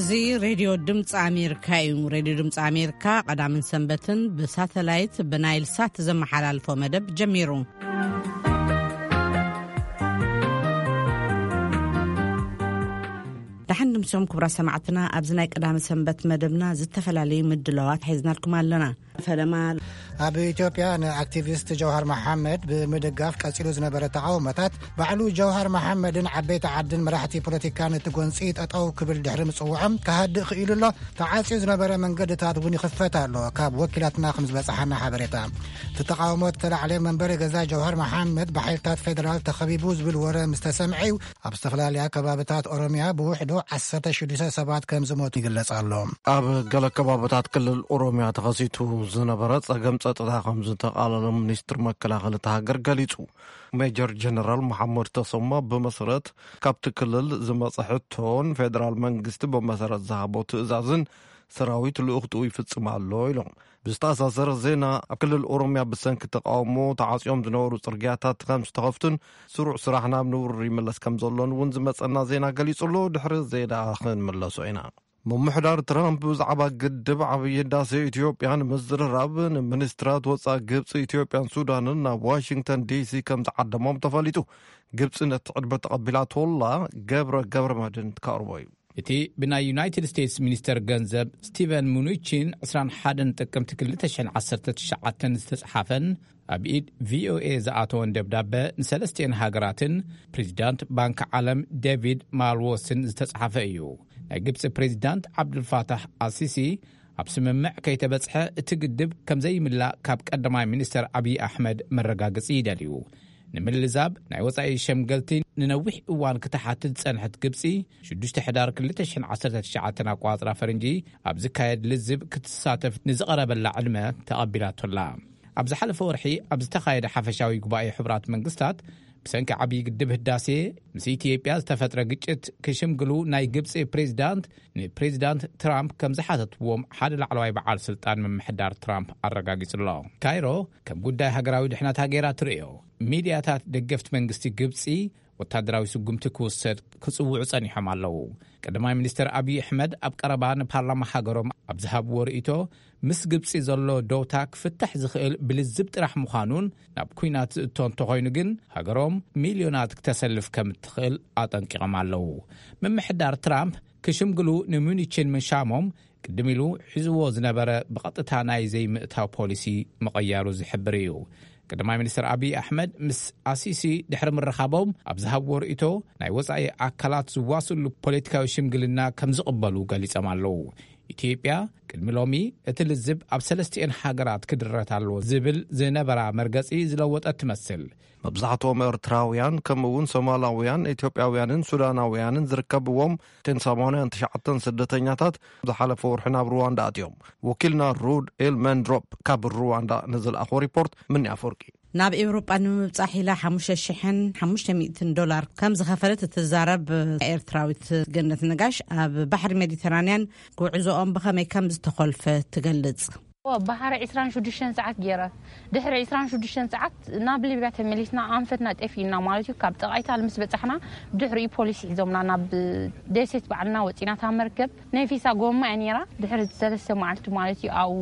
እዚ ሬድዮ ድምፂ ኣሜሪካ እዩ። ሬድዮ ድምፂ ኣሜሪካ ቀዳምን ሰንበትን ብሳተላይት ብናይል ሳት ዘመሓላልፎ መደብ ጀሚሩ። ደሓን ድምሶም ክቡራት ሰማዕትና፣ ኣብዚ ናይ ቀዳመ ሰንበት መደብና ዝተፈላለዩ ምድላዋት ሒዝናልኩም ኣለና። ፈለማ ኣብ ኢትዮጵያ ንኣክቲቪስት ጀውሃር መሓመድ ብምድጋፍ ቀጺሉ ዝነበረ ተቓውሞታት፣ ባዕሉ ጀውሃር መሓመድን ዓበይቲ ዓድን መራሕቲ ፖለቲካን እቲ ጎንጺ ጠጠው ክብል ድሕሪ ምጽውዖም፣ ክሃድእ ክኢሉ ኣሎ። ተዓጽዩ ዝነበረ መንገድታት እውን ይኽፈት ኣሎ። ካብ ወኪላትና ከም ዝበጽሓና ሓበሬታ፣ እቲ ተቓውሞ ተላዕለ። መንበሪ ገዛ ጀውሃር መሓመድ ብሓይልታት ፌደራል ተኸቢቡ ዝብል ወረ ምስ ተሰምዐ እዩ፣ ኣብ ዝተፈላለያ ከባብታት ኦሮሚያ ብውሕዱ ዓሰርተ ሽዱሽተ ሰባት ከም ዝሞቱ ይግለጽ ኣሎ። ኣብ ገለ ከባብታት ክልል ኦሮሚያ ተኸሲቱ ዝነበረ ጸገም ጸጥታ ከም ዝተቓለለ ሚኒስትር መከላኸሊ እታ ሃገር ገሊጹ። ሜጀር ጀነራል መሓመድ ተሰማ ብመሰረት ካብቲ ክልል ዝመጸ ሕቶን ፌደራል መንግስቲ ብመሰረት ዝሃቦ ትእዛዝን ሰራዊት ልኡኽትኡ ይፍጽም ኣሎ ኢሎም። ብዝተኣሳሰረ ዜና፣ ኣብ ክልል ኦሮሚያ ብሰንኪ ተቃውሞ ተዓጽዮም ዝነበሩ ጽርግያታት ከም ዝተኸፍቱን ስሩዕ ስራሕ ናብ ንቡር ይምለስ ከም ዘሎን እውን ዝመጸና ዜና ገሊጹ ኣሎ። ድሕሪ ዜና ክንምለሶ ኢና። ምምሕዳር ትራምፕ ብዛዕባ ግድብ ዓብዪ ህዳሴ ኢትዮጵያ ንምዝርራብ ንሚኒስትራት ወፃኢ ግብፂ፣ ኢትዮጵያን ሱዳንን ናብ ዋሽንግተን ዲሲ ከም ዝዓደሞም ተፈሊጡ። ግብፂ ነቲ ዕድመ ተቐቢላቶላ። ገብረ ገብረ መድን ትካርቦ እዩ። እቲ ብናይ ዩናይትድ ስቴትስ ሚኒስተር ገንዘብ ስቲቨን ሙኑቺን ዕስራን ሓደን ጥቅምቲ ክልተ ሽሕን ዓሰርተ ትሽዓተን ዝተጽሓፈን ኣብ ኢድ ቪኦኤ ዝኣተወን ደብዳበ፣ ንሰለስቲኤን ሃገራትን ፕሬዚዳንት ባንክ ዓለም ዴቪድ ማልዎስን ዝተጽሓፈ እዩ። ናይ ግብፂ ፕሬዚዳንት ዓብዱልፋታሕ ኣሲሲ፣ ኣብ ስምምዕ ከይተበጽሐ እቲ ግድብ ከምዘይምላእ ካብ ቀዳማይ ሚኒስተር ኣብይ ኣሕመድ መረጋገጺ ይደልዩ። ንምልዛብ ናይ ወጻኢ ሸምገልቲ ንነዊሕ እዋን ክትሓትት ዝጸንሐት ግብጺ፣ ሽዱሽተ ሕዳር ክልተ ሽሕን ዓሰርተ ትሽዓተን ኣቋጽራ ፈረንጂ ኣብ ዝካየድ ልዝብ ክትሳተፍ ንዝቐረበላ ዕድመ ተቐቢላቶላ። ኣብ ዝሓለፈ ወርሒ ኣብ ዝተኻየደ ሓፈሻዊ ጉባኤ ሕቡራት መንግስታት፣ ብሰንኪ ዓብዪ ግድብ ህዳሴ ምስ ኢትዮጵያ ዝተፈጥረ ግጭት ክሽምግሉ ናይ ግብፂ ፕሬዚዳንት ንፕሬዚዳንት ትራምፕ ከም ዝሓተትዎም ሓደ ላዕለዋይ በዓል ስልጣን ምምሕዳር ትራምፕ ኣረጋጊጹ ኣሎ። ካይሮ ከም ጉዳይ ሃገራዊ ድሕነታ ገይራ ትርእዮ። ሚድያታት ደገፍቲ መንግስቲ ግብፂ ወታደራዊ ስጉምቲ ክውሰድ ክጽውዑ ጸኒሖም ኣለዉ። ቀዳማይ ሚኒስትር ኣብይ ኣሕመድ ኣብ ቀረባ ንፓርላማ ሃገሮም ኣብ ዝሃብዎ ርእይቶ፣ ምስ ግብጺ ዘሎ ደውታ ክፍታሕ ዝኽእል ብልዝብ ጥራሕ ምዃኑን፣ ናብ ኲናት ዝእቶ እንተኾይኑ ግን ሃገሮም ሚልዮናት ክተሰልፍ ከም እትኽእል ኣጠንቂቖም ኣለዉ። ምምሕዳር ትራምፕ ክሽምግሉ ንሙኒችን ምሻሞም ቅድም ኢሉ ሒዝዎ ዝነበረ ብቐጥታ ናይ ዘይምእታው ፖሊሲ ምቕያሩ ዝሕብር እዩ። ቀዳማይ ሚኒስትር ኣብይ ኣሕመድ ምስ ኣሲሲ ድሕሪ ምርኻቦም ኣብ ዝሃብዎ ርእይቶ፣ ናይ ወጻኢ ኣካላት ዝዋስሉ ፖለቲካዊ ሽምግልና ከም ዝቕበሉ ገሊጾም ኣለዉ። ኢትዮጵያ ቅድሚ ሎሚ እቲ ልዝብ ኣብ ሰለስቲኤን ሃገራት ክድረት ኣለዎ ዝብል ዝነበራ መርገጺ ዝለወጠት ትመስል። መብዛሕትኦም ኤርትራውያን ከምኡ እውን ሶማላውያን፣ ኢትዮጵያውያንን ሱዳናውያንን ዝርከብዎም እተን ሰማንያን ትሽዓተን ስደተኛታት ዝሓለፈ ወርሒ ናብ ሩዋንዳ ኣትዮም። ወኪልና ሩድ ኤልመንድሮፕ ካብ ሩዋንዳ ንዝለኣኾ ሪፖርት ምኒ ኣፈወርቂ። ናብ ኤውሮጳ ንምብጻሕ ኢላ ሓሙሽተ ሽሕን ሓሙሽተ ሚእትን ዶላር ከም ዝኸፈለት እትዛረብ ኤርትራዊት ገነት ነጋሽ፣ ኣብ ባሕሪ ሜዲተራንያን ጉዕዞኦም ብኸመይ ከም ዝተኾልፈ ትገልጽ። ባሕሪ ዕስራን ሽዱሽተን ሰዓት ገይረ፣ ድሕሪ ዕስራን ሽዱሽተን ሰዓት ናብ ሊብያ ተመሊስና፣ ኣንፈትና ጠፊእና ማለት እዩ። ካብ ጥቓ ኢታሊ ምስ በጻሕና፣ ድሕሪኡ ፖሊስ ሒዞምና ናብ ደሴት ባዕልና ወጺና። እታ መርከብ ናይ ፊሳ ጎማ እያ ነይራ። ድሕሪ ሰለስተ መዓልቲ ማለት እዩ፣ ኣብኡ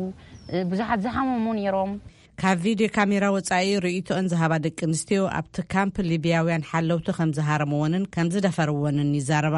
ብዙሓት ዝሓመሙ ነይሮም። ካብ ቪድዮ ካሜራ ወጻኢ ርእይቶአን ዝሃባ ደቂ ኣንስትዮ፣ ኣብቲ ካምፕ ሊብያውያን ሓለውቲ ከም ዝሃረምወንን ከም ዝደፈርወንን ይዛረባ።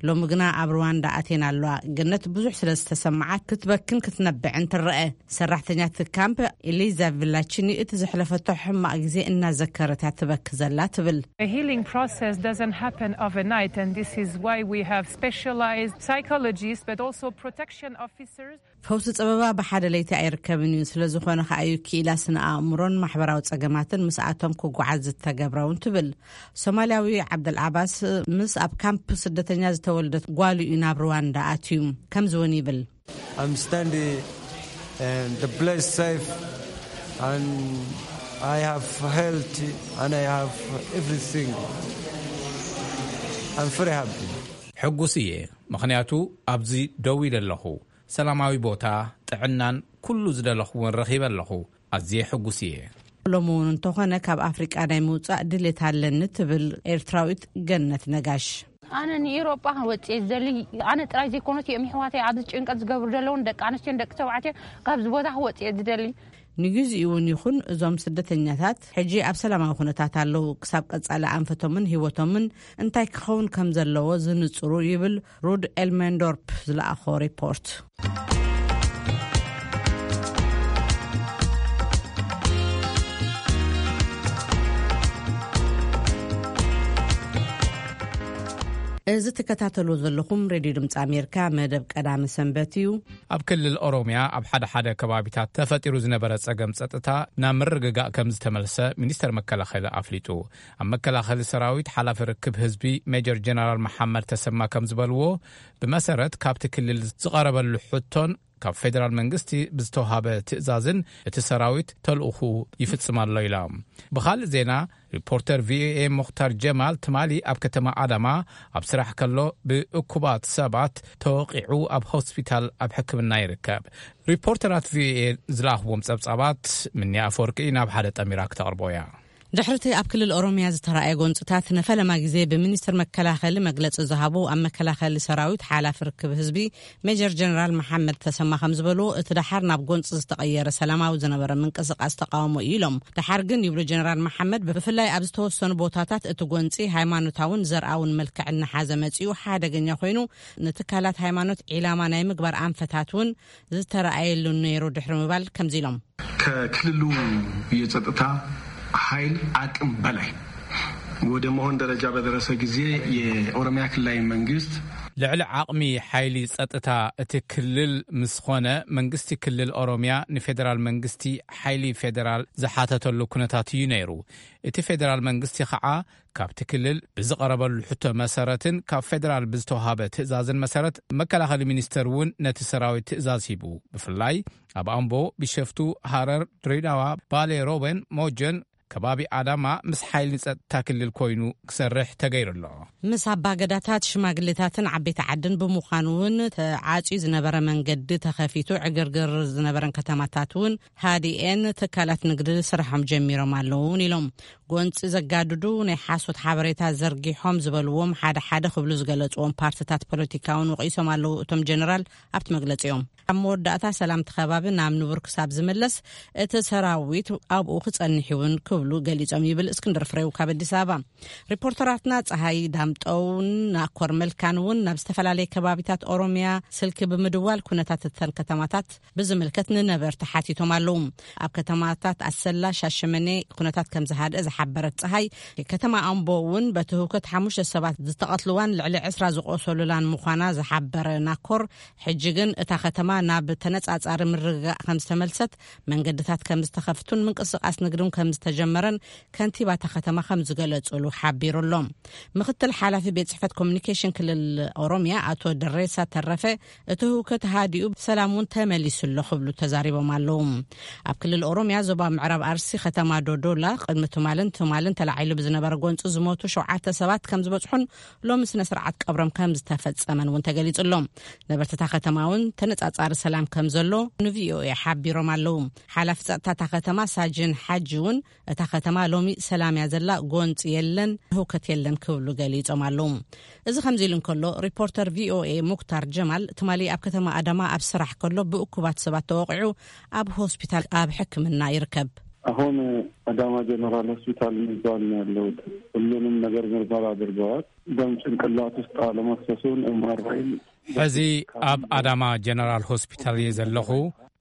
ሎሚ ግና ኣብ ሩዋንዳ ኣትየን ኣለዋ። ገነት ብዙሕ ስለ ዝተሰምዓት ክትበክን ክትነብዕን ትረአ። ሰራሕተኛ እቲ ካምፕ ኤሊዛ ቪላቺኒ እቲ ዘሕለፈቶ ሕማቕ ግዜ እናዘከረት እያ ትበኪ ዘላ ትብል። The healing process doesn't happen overnight, and this is why we have specialized psychologists, but also protection officers. ፈውሲ ጸበባ ብሓደ ለይቲ ኣይርከብን እዩ። ስለ ዝኾነ ከኣ እዩ ክኢላ ስነ ኣእምሮን ማሕበራዊ ጸገማትን ምስኣቶም ክጓዓዝ ዝተገብረውን ትብል። ሶማልያዊ ዓብደል ዓባስ ምስ ኣብ ካምፕ ስደተኛ ዝተወልደት ጓሉ እዩ ናብ ሩዋንዳ ኣትዩ። ከምዚ እውን ይብል። I'm standing and the place safe and I have health and I have everything. I'm very happy. ሕጉስ እየ፣ ምኽንያቱ ኣብዚ ደው ኢለ ኣለኹ። ሰላማዊ ቦታ፣ ጥዕናን ኩሉ ዝደለኹዎን ረኺበ ኣለኹ። ኣዝየ ሕጉስ እየ። ሎሚ እውን እንተኾነ ካብ ኣፍሪቃ ናይ ምውጻእ ድሌት ኣለኒ ትብል ኤርትራዊት ገነት ነጋሽ። ኣነ ንኤውሮጳ ክወጽእ እየ ዝደሊ። ኣነ ጥራይ ዘይኮነስ እዮም ኣሕዋተይ ኣብዚ ጭንቀት ዝገብሩ ዘለውን ደቂ ኣንስትዮን ደቂ ተባዕትዮ ካብዚ ቦታ ክወጽእ እየ ዝደሊ። ንግዚኡ እውን ይኹን እዞም ስደተኛታት ሕጂ ኣብ ሰላማዊ ኩነታት ኣለዉ። ክሳብ ቀጻሊ ኣንፈቶምን ህይወቶምን እንታይ ክኸውን ከም ዘለዎ ዝንጽሩ ይብል ሩድ ኤልሜንዶርፕ ዝለኣኾ ሪፖርት። እዚ ትከታተልዎ ዘለኹም ሬድዮ ድምፂ ኣሜሪካ መደብ ቀዳመ ሰንበት እዩ። ኣብ ክልል ኦሮምያ ኣብ ሓደ ሓደ ከባቢታት ተፈጢሩ ዝነበረ ጸገም ጸጥታ ናብ ምርግጋእ ከም ዝተመልሰ ሚኒስተር መከላኸሊ ኣፍሊጡ። ኣብ መከላኸሊ ሰራዊት ሓላፊ ርክብ ህዝቢ ሜጀር ጀነራል መሓመድ ተሰማ ከም ዝበልዎ፣ ብመሰረት ካብቲ ክልል ዝቐረበሉ ሕቶን ካብ ፌደራል መንግስቲ ብዝተዋሃበ ትእዛዝን እቲ ሰራዊት ተልእኹ ይፍጽም ኣሎ ኢላ። ብኻልእ ዜና፣ ሪፖርተር ቪኦኤ ሙኽታር ጀማል ትማሊ ኣብ ከተማ ኣዳማ ኣብ ስራሕ ከሎ ብእኩባት ሰባት ተወቒዑ ኣብ ሆስፒታል ኣብ ሕክምና ይርከብ። ሪፖርተራት ቪኦኤ ዝለኣኽዎም ጸብጻባት ምንያ ኣፈወርቂ ናብ ሓደ ጠሚራ ክተቕርቦ እያ። ድሕርቲ ኣብ ክልል ኦሮምያ ዝተራእየ ጎንጽታት ንፈለማ ግዜ ብሚኒስትር መከላኸሊ መግለጺ ዝሃቡ ኣብ መከላኸሊ ሰራዊት ሓላፊ ርክብ ህዝቢ ሜጀር ጀነራል መሓመድ ተሰማ ከም ዝበሉ፣ እቲ ደሓር ናብ ጎንጺ ዝተቐየረ ሰላማዊ ዝነበረ ምንቅስቃስ ተቃውሞ እዩ ኢሎም። ደሓር ግን ይብሉ ጀነራል መሓመድ፣ ብፍላይ ኣብ ዝተወሰኑ ቦታታት እቲ ጎንጺ ሃይማኖታውን ዘርኣውን መልክዕ እናሓዘ መጺኡ ሓደገኛ ኮይኑ፣ ንትካላት ሃይማኖት ዒላማ ናይ ምግባር ኣንፈታት እውን ዝተረኣየሉ ነይሩ ድሕሪ ምባል ከምዚ ኢሎም። ከክልሉ የጸጥታ ኃይል አቅም በላይ ወደ መሆን ደረጃ በደረሰ ጊዜ የኦሮሚያ ክልላዊ መንግስት ልዕሊ ዓቕሚ ሓይሊ ጸጥታ እቲ ክልል ምስ ኾነ፣ መንግስቲ ክልል ኦሮሚያ ንፌደራል መንግስቲ ሓይሊ ፌደራል ዝሓተተሉ ኩነታት እዩ ነይሩ። እቲ ፌደራል መንግስቲ ኸዓ ካብቲ ክልል ብዝቐረበሉ ሕቶ መሰረትን ካብ ፌደራል ብዝተዋሃበ ትእዛዝን መሰረት፣ መከላኸሊ ሚኒስተር እውን ነቲ ሰራዊት ትእዛዝ ሂቡ። ብፍላይ ኣብ ኣምቦ፣ ቢሸፍቱ፣ ሃረር፣ ድሬዳዋ፣ ባሌ ሮቤን፣ ሞጀን ከባቢ ኣዳማ ምስ ሓይሊ ጸጥታ ክልል ኮይኑ ክሰርሕ ተገይሩ ኣሎ። ምስ ኣባገዳታት፣ ሽማግሌታትን ዓበይቲ ዓድን ብምዃኑ እውን ተዓጽዩ ዝነበረ መንገዲ ተኸፊቱ፣ ዕግርግር ዝነበረን ከተማታት እውን ሃዲኤን ትካላት ንግዲ ስራሖም ጀሚሮም ኣለዉ እውን ኢሎም። ጎንፂ ዘጋድዱ ናይ ሓሶት ሓበሬታ ዘርጊሖም ዝበልዎም ሓደ ሓደ ክብሉ ዝገለፅዎም ፓርትታት ፖለቲካ እውን ወቒሶም ኣለዉ እቶም ጀነራል ኣብቲ መግለፂኦም። ኣብ መወዳእታ ሰላም እቲ ከባቢ ናብ ንቡር ክሳብ ዝምለስ እቲ ሰራዊት ኣብኡ ክጸንሕ እውን ክብሉ ገሊጾም ይብል እስክንድር ፍሬው ካብ ኣዲስ ኣበባ። ሪፖርተራትና ጸሃይ ዳምጠውን ናኮር መልካን እውን ናብ ዝተፈላለየ ከባቢታት ኦሮሚያ ስልኪ ብምድዋል ኩነታት እተን ከተማታት ብዝምልከት ንነበርቲ ሓቲቶም ኣለዉ። ኣብ ከተማታት ኣሰላ፣ ሻሸመኔ ኩነታት ከም ዝሃድአ ዝሓበረት ጸሃይ፣ ከተማ ኣምቦ እውን በቲ ህውከት ሓሙሽተ ሰባት ዝተቐትልዋን ልዕሊ ዕስራ ዝቆሰሉላን ምዃና ዝሓበረ ናኮር፣ ሕጂ ግን እታ ከተማ ናብ ተነጻጻሪ ምርግጋእ ከም ዝተመልሰት፣ መንገድታት ከም ዝተኸፍቱን ምንቅስቃስ ንግድን ከም ዝተጀመረን ከንቲባ እታ ከተማ ከም ዝገለጹሉ ሓቢሩ ኣሎ። ምክትል ሓላፊ ቤት ጽሕፈት ኮሚኒኬሽን ክልል ኦሮሚያ ኣቶ ደሬሳ ተረፈ፣ እቲ ህውከት ሃዲኡ ሰላም እውን ተመሊሱ ኣሎ ክብሉ ተዛሪቦም ኣለዉ። ኣብ ክልል ኦሮሚያ ዞባ ምዕራብ ኣርሲ ከተማ ዶዶላ ቅድሚ ትማልን ትማልን ተላዒሉ ብዝነበረ ጎንፂ ዝሞቱ ሸውዓተ ሰባት ከም ዝበፅሑን ሎሚ ስነ ስርዓት ቀብሮም ከም ዝተፈጸመን እውን ተገሊጹ ኣሎ። ነበርቲ እታ ከተማ እውን ተነጻጻሪ ሰላም ከም ዘሎ ንቪኦኤ ሓቢሮም ኣለዉ። ሓላፊ ጸጥታ እታ ከተማ ሳጅን ሓጂ እውን እታ ከተማ ሎሚ ሰላም እያ ዘላ፣ ጎንጺ የለን፣ ህውከት የለን ክብሉ ገሊጾም ኣለዉ። እዚ ከምዚ ኢሉ እንከሎ፣ ሪፖርተር ቪኦኤ ሙክታር ጀማል ትማሊ ኣብ ከተማ ኣዳማ ኣብ ስራሕ ከሎ ብእኩባት ሰባት ተወቒዑ ኣብ ሆስፒታል ኣብ ሕክምና ይርከብ። አሁን አዳማ ጀነራል ሆስፒታል የሚባል ነው ያለሁት። ሁሉንም ነገር ምርመራ አድርገዋል። ደም ጭንቅላት ውስጥ አለመፍሰሱን ኤምአርአይ ሕዚ ኣብ ኣዳማ ጀነራል ሆስፒታል እየ ዘለኹ።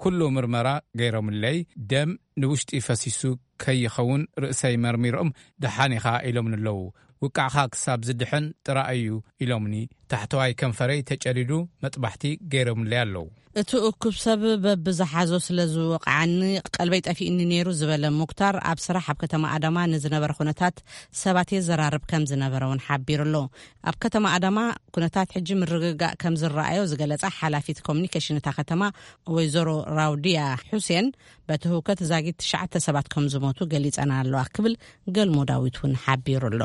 ኩሉ ምርመራ ገይሮምለይ፣ ደም ንውሽጢ ፈሲሱ ከይኸውን ርእሰይ መርሚሮም፣ ደሓን ኢኻ ኢሎምኒ ኣለዉ። ውቃዕኻ ክሳብ ዝድሕን ጥራይ እዩ ኢሎምኒ። ታሕተዋይ ከንፈረይ ተጨዲዱ መጥባሕቲ ገይሮምለይ ኣለዉ። እቲ እኩብ ሰብ በብዝሓዞ ስለ ዝወቕዓኒ ቀልበይ ጠፊእኒ ነይሩ ዝበለ ሙክታር፣ ኣብ ስራሕ ኣብ ከተማ ኣዳማ ንዝነበረ ኩነታት ሰባት የዘራርብ ከም ዝነበረ እውን ሓቢሩ ኣሎ። ኣብ ከተማ ኣዳማ ኩነታት ሕጂ ምርግጋእ ከም ዝረኣዮ ዝገለጻ ሓላፊት ኮሚኒኬሽን እታ ከተማ ወይዘሮ ራውዲያ ሑሴን፣ በቲ ህውከት ዛጊት ትሽዓተ ሰባት ከም ዝሞቱ ገሊጸን ኣለዋ ክብል ገልሞ ዳዊት እውን ሓቢሩ ኣሎ።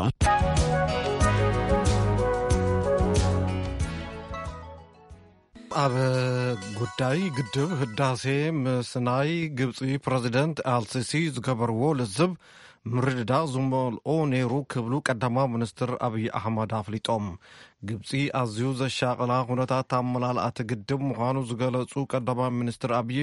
ኣብ ጉዳይ ግድብ ህዳሴ ምስ ናይ ግብፂ ፕረዚደንት ኣልሲሲ ዝገበርዎ ልዝብ ምርድዳእ ዝመልኦ ነይሩ ክብሉ ቀዳማዊ ሚኒስትር ኣብይ ኣሕመድ ኣፍሊጦም። ግብፂ ኣዝዩ ዘሻቐላ ኩነታት ኣመላልኣቲ ግድብ ምዃኑ ዝገለጹ ቀዳማዊ ሚኒስትር ኣብይ፣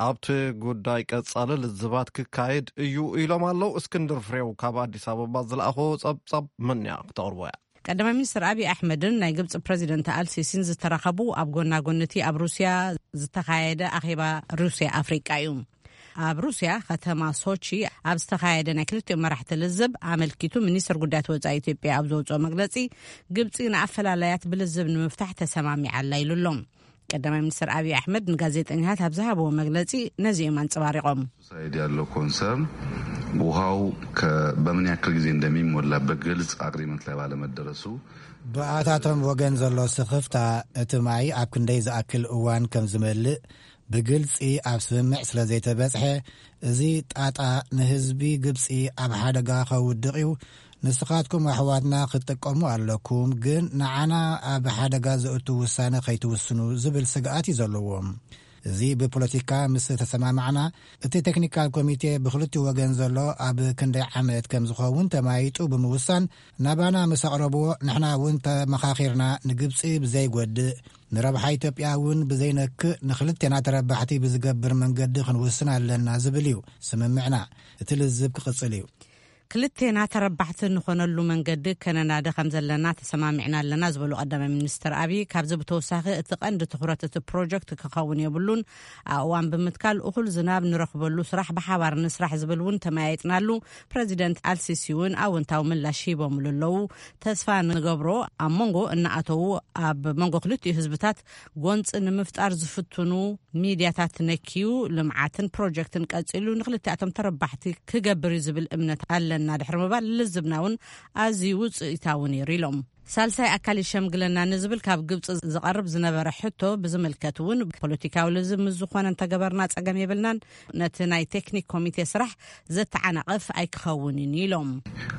ኣብቲ ጉዳይ ቀጻሊ ልዝባት ክካየድ እዩ ኢሎም ኣለዉ። እስክንድር ፍሬው ካብ ኣዲስ ኣበባ ዝለኣኾ ጸብጻብ መን እያ ክተቕርቦ እያ። ቀዳማይ ሚኒስትር ኣብይ ኣሕመድን ናይ ግብፂ ፕሬዚደንት ኣልሲሲን ዝተራኸቡ ኣብ ጎና ጎን'ቲ ኣብ ሩስያ ዝተኻየደ ኣኼባ ሩስያ ኣፍሪቃ እዩ። ኣብ ሩስያ ከተማ ሶቺ ኣብ ዝተኻየደ ናይ ክልቲኦም መራሕቲ ልዝብ ኣመልኪቱ፣ ሚኒስትር ጉዳያት ወጻኢ ኢትዮጵያ ኣብ ዘውፅኦ መግለጺ፣ ግብፂ ንኣፈላላያት ብልዝብ ንምፍታሕ ተሰማሚዓ ኣላ ኢሉ ኣሎ። ቀዳማይ ሚኒስትር ኣብይ ኣሕመድ ንጋዜጠኛታት ኣብ ዝሃብዎ መግለጺ ነዚኦም ኣንጸባሪቖም። ሳይድ ያለው ኮንሰርን ውሃው በምን ያክል ጊዜ እንደሚሞላ በግልጽ አግሪመንት ላይ ባለመደረሱ ብኣታቶም ወገን ዘሎ ስኽፍታ፣ እቲ ማይ ኣብ ክንደይ ዝኣክል እዋን ከም ዝመልእ ብግልጺ ኣብ ስምምዕ ስለ ዘይተበጽሐ፣ እዚ ጣጣ ንህዝቢ ግብጺ ኣብ ሓደጋ ከውድቕ እዩ። ንስኻትኩም ኣሕዋትና ክትጥቀሙ ኣለኩም፣ ግን ንዓና ኣብ ሓደጋ ዘእቱ ውሳነ ከይትውስኑ ዝብል ስግኣት እዩ ዘለዎም። እዚ ብፖለቲካ ምስ ተሰማማዕና፣ እቲ ቴክኒካል ኮሚቴ ብክልቲኡ ወገን ዘሎ ኣብ ክንደይ ዓመት ከም ዝኸውን ተማይጡ ብምውሳን ናባና ምስ ኣቕረብዎ፣ ንሕና እውን ተመኻኺርና ንግብጺ ብዘይጎድእ፣ ንረብሓ ኢትዮጵያ እውን ብዘይነክእ፣ ንክልቴና ተረባሕቲ ብዝገብር መንገዲ ክንውስን ኣለና ዝብል እዩ ስምምዕና። እቲ ልዝብ ክቕጽል እዩ። ክልቴና ተረባሕቲ ንኾነሉ መንገዲ ከነናዲ ከም ዘለና ተሰማሚዕና ኣለና ዝበሉ ቀዳማይ ሚኒስትር ኣብይ፣ ካብዚ ብተወሳኺ እቲ ቀንዲ ትኹረት እቲ ፕሮጀክት ክኸውን የብሉን፣ ኣእዋን ብምትካል እኹል ዝናብ ንረኽበሉ ስራሕ ብሓባር ንስራሕ ዝብል እውን ተመያይጥናሉ። ፕረዚደንት ኣልሲሲ እውን ኣወንታዊ ምላሽ ሂቦምሉ ኣለዉ። ተስፋ ንገብሮ ኣብ መንጎ እናኣተዉ ኣብ መንጎ ክልቲኡ ህዝብታት ጎንፂ ንምፍጣር ዝፍትኑ ሚድያታት ነኪዩ ልምዓትን ፕሮጀክትን ቀፂሉ ንክልቲኣቶም ተረባሕቲ ክገብር እዩ ዝብል እምነት ኣለና ድሕሪ ምባል፣ ልዝብና እውን ኣዝዩ ውፅኢታዊ ነይሩ ኢሎም። ሳልሳይ ኣካል ይሸምግለና ንዝብል ካብ ግብፂ ዝቐርብ ዝነበረ ሕቶ ብዝምልከት እውን ፖለቲካዊ ልዝብ ምስ ዝኾነ እንተገበርና ፀገም የብልናን፣ ነቲ ናይ ቴክኒክ ኮሚቴ ስራሕ ዘተዓናቐፍ ኣይክኸውንን ኢሎም።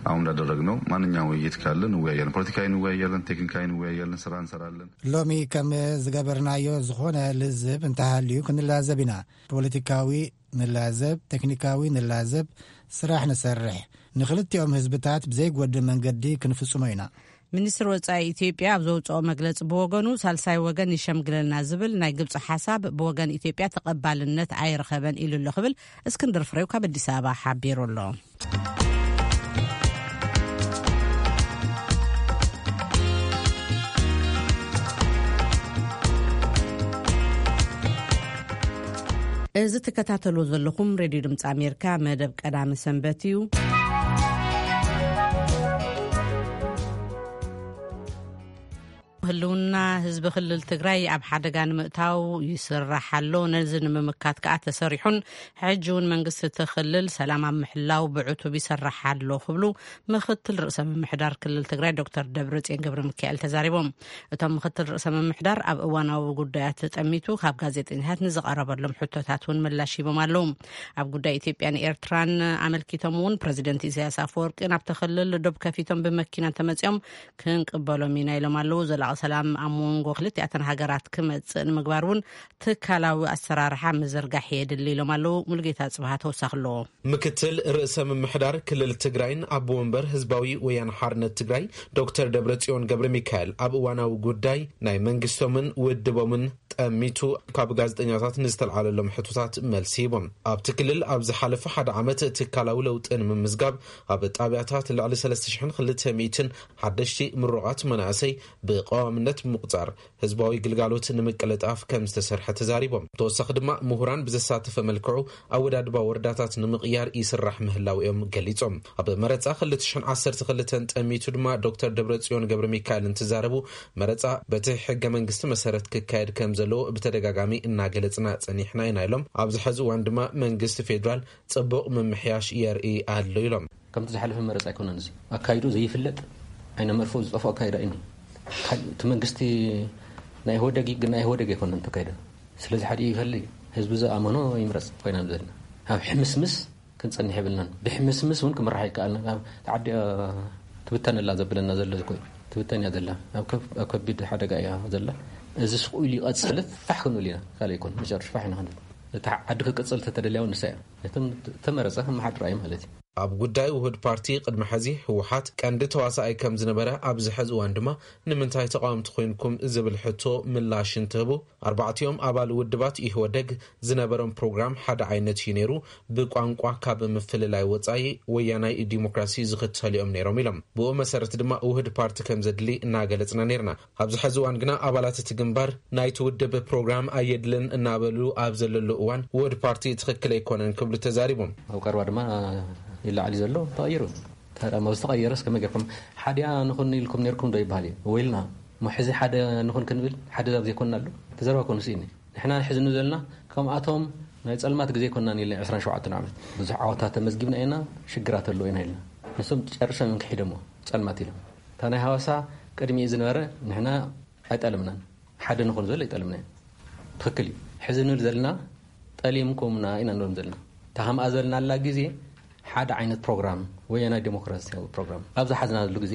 አሁን እንዳደረግነው ማንኛውም ውይይት ካለ እንወያያለን። ፖለቲካዊ እንወያያለን፣ ቴክኒካዊ እንወያያለን፣ ስራ እንሰራለን። ሎሚ ከም ዝገበርናዮ ዝኾነ ልዝብ እንተሃልዩ ክንላዘብ ኢና። ፖለቲካዊ ንላዘብ፣ ቴክኒካዊ ንላዘብ፣ ስራሕ ንሰርሕ። ንክልቲኦም ህዝብታት ብዘይጎድእ መንገዲ ክንፍጽሞ ኢና። ሚኒስትር ወጻኢ ኢትዮጵያ ኣብ ዘውጽኦ መግለጺ ብወገኑ፣ ሳልሳይ ወገን ይሸምግለልና ዝብል ናይ ግብጺ ሓሳብ ብወገን ኢትዮጵያ ተቐባልነት ኣይረኸበን ኢሉ ኣሎ ክብል እስክንድር ፍሬው ካብ ኣዲስ ኣበባ ሓቢሩ ኣሎ። እዚ ትከታተልዎ ዘለኹም ሬድዮ ድምፂ ኣሜሪካ መደብ ቀዳሚ ሰንበት እዩ። ህልውና ህዝቢ ክልል ትግራይ ኣብ ሓደጋ ንምእታው ይስራሕ ኣሎ። ነዚ ንምምካት ከዓ ተሰሪሑን ሕጂ እውን መንግስቲ እቲ ክልል ሰላም ኣብ ምሕላው ብዕቱብ ይሰርሕ ኣሎ ክብሉ ምክትል ርእሰ ምምሕዳር ክልል ትግራይ ዶክተር ደብረፅዮን ገብረ ሚካኤል ተዛሪቦም። እቶም ምክትል ርእሰ ምምሕዳር ኣብ እዋናዊ ጉዳያት ጠሚቱ ካብ ጋዜጠኛታት ንዝቐረበሎም ሕቶታት እውን ምላሽ ሂቦም ኣለዉ። ኣብ ጉዳይ ኢትዮጵያን ኤርትራን ኣመልኪቶም እውን ፕረዚደንት ኢሳያስ ኣፈወርቂ ናብቲ ክልል ዶብ ከፊቶም ብመኪና እንተመፂኦም ክንቅበሎም ኢና ኢሎም ኣለዉ። ዘላቒ ሰላም ኣብ መንጎ ክልቲኣተን ሃገራት ክመፅእ ንምግባር እውን ትካላዊ ኣሰራርሓ ምዝርጋሕ የድሊ ኢሎም ኣለዉ። ሙሉጌታ ፅብሃ ተወሳኺ ኣለዎ። ምክትል ርእሰ ምምሕዳር ክልል ትግራይን ኣቦ ወንበር ህዝባዊ ወያነ ሓርነት ትግራይ ዶክተር ደብረጽዮን ገብረ ሚካኤል ኣብ እዋናዊ ጉዳይ ናይ መንግስቶምን ውድቦምን ጠሚቱ ካብ ጋዜጠኛታት ንዝተልዓለሎም ሕቶታት መልሲ ሂቦም። ኣብቲ ክልል ኣብ ዝሓለፈ ሓደ ዓመት ትካላዊ ለውጢ ንምምዝጋብ ኣብ ጣብያታት ልዕሊ ሰለስተ ሽሕን ክልተ ሚእትን ሓደሽቲ ምሩቓት መናእሰይ ብቀዋምነት ብምቁፃር ህዝባዊ ግልጋሎት ንምቅልጣፍ ከም ዝተሰርሐ ተዛሪቦም። ተወሳኺ ድማ ምሁራን ብዘሳተፈ መልክዑ ኣወዳድባ ወረዳታት ንምቕያር ይስራሕ ምህላው እዮም ገሊጾም። ኣብ መረጻ ክልተ ሽሕን ዓሰርተ ክልተን ጠሚቱ ድማ ዶክተር ደብረጽዮን ገብረ ሚካኤል እንትዛረቡ፣ መረጻ በቲ ሕገ መንግስቲ መሰረት ክካየድ ከም ዘለዎ ብተደጋጋሚ እናገለጽና ጸኒሕና ኢና ኢሎም። ኣብዚ ሐዚ እዋን ድማ መንግስቲ ፌዴራል ጽቡቕ ምምሕያሽ የርኢ ኣሎ ኢሎም። ከምቲ ዝሓለፈ መረፃ ኣይኮነን። እዚ ኣካይዱ ዘይፍለጥ ዓይነ መርፎ ዝጠፍኦ ኣካይዳ እዩ። እቲ መንግስቲ ናይ ኢህወደግ ግን ናይ ኢህወደግ ኣይኮነን ተካይደ። ስለዚ ሓዲኡ ይፈሊ፣ ህዝቢ ዝኣመኖ ይምረፅ ኮይና ዘለና። ኣብ ሕምስምስ ክንፀንሕ የብልናን። ብሕምስምስ እውን ክምራሕ ይከኣልና። ዓዲ ትብተን ኣላ ዘብለና ዘሎ እኮ እዩ። ትብተን እያ ዘላ። ኣብ ከቢድ ሓደጋ እያ ዘላ። እዚ ስቕ ኢሉ ይቐፅል ፋሕ ክንብል ኢና። ካልእ ኣይኮን መጨረሽ ፋሕ ኢና ክንብል። እቲ ዓዲ ክቅፅል ተተደልያ እውን ንሳ እያ። እቶም ተመረፀ ክመሓድራ እዩ ማለት እዩ። ኣብ ጉዳይ ውህድ ፓርቲ ቅድሚ ሕዚ ህወሓት ቀንዲ ተዋሳኣይ ከም ዝነበረ፣ ኣብዚ ሕዚ እዋን ድማ ንምንታይ ተቃወምቲ ኮይንኩም ዝብል ሕቶ ምላሽ እንትህቡ፣ ኣርባዕቲኦም ኣባል ውድባት ኢህወደግ ዝነበሮም ፕሮግራም ሓደ ዓይነት እዩ ነይሩ። ብቋንቋ ካብ ምፍልላይ ወጻኢ ወያናይ ዲሞክራሲ ዝኽተሉ እዮም ነይሮም ኢሎም። ብኡ መሰረት ድማ ውህድ ፓርቲ ከም ዘድሊ እናገለጽና ነይርና። ኣብዚ ሕዚ እዋን ግና ኣባላት እቲ ግንባር ናይቲ ውድብ ፕሮግራም ኣየድልን እናበሉ ኣብ ዘለሉ እዋን ውህድ ፓርቲ ትኽክል ኣይኮነን ክብሉ ተዛሪቦም። ኣብ ቀረባ ድማ ይለዓል ዘሎ ተቐይሩ። ታዲያ ኣብ ዝተቐየረስ ከመይ ጌርኩም ሓዲኣ ንኹን ኢልኩም ነርኩም ዶ ይበሃል እዩ? ወይልና እሞ ሕዚ ሓደ ንኹን ክንብል ሓደ ኣብ ዘይኮንናሉ ተዘረባ ኮኑ ስኢኒ። ንሕና ሕዚ ንብል ዘለና ከምኣቶም ናይ ጸልማት ግዜ ኮንና ኢልና ዕስራን ሸውዓተን ዓመት ብዙሕ ዓወታት ተመዝጊብና ኢና፣ ሽግራት ኣለዎ ኢና ኢልና። ንሶም ጨርሶም እዮም ክሒዶሞ ጸልማት ኢሎም። እታ ናይ ሃዋሳ ቅድሚኡ ዝነበረ ንሕና ኣይጠለምናን። ሓደ ንኹን ዝብል ኣይጠለምናን። ትኽክል እዩ። ሕዚ ንብል ዘለና ጠሊምኩምና ኢና ንብሎም ዘለና። እታ ከምኣ ዝበልናላ ግዜ ሓደ ዓይነት ፕሮግራም፣ ወያናይ ዴሞክራሲያዊ ፕሮግራም ኣብ ዝሓዝናሉ ግዜ።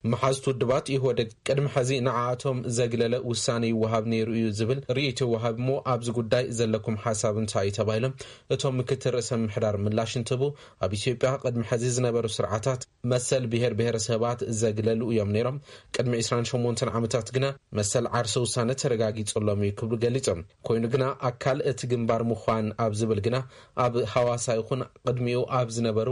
መሓዝቲ ውድባት ኢህወደግ ቅድሚ ሕዚ ንዓኣቶም ዘግለለ ውሳነ ይወሃብ ነይሩ እዩ ዝብል ርእይቶ ይወሃብ እሞ ኣብዚ ጉዳይ ዘለኩም ሓሳብ እንታይ እዩ ተባሂሎም እቶም ምክትል ርእሰ ምምሕዳር ምላሽ እንትህቡ ኣብ ኢትዮጵያ ቅድሚ ሕዚ ዝነበሩ ስርዓታት መሰል ብሄር ብሄረሰባት ዘግለሉ እዮም ነይሮም። ቅድሚ ዕስራን ሸሞንተን ዓመታት ግና መሰል ዓርሰ ውሳነ ተረጋጊጹሎም እዩ ክብሉ ገሊጾም። ኮይኑ ግና ኣካል እቲ ግንባር ምዃን ኣብ ዝብል ግና ኣብ ሃዋሳ ይኹን ቅድሚኡ ኣብ ዝነበሩ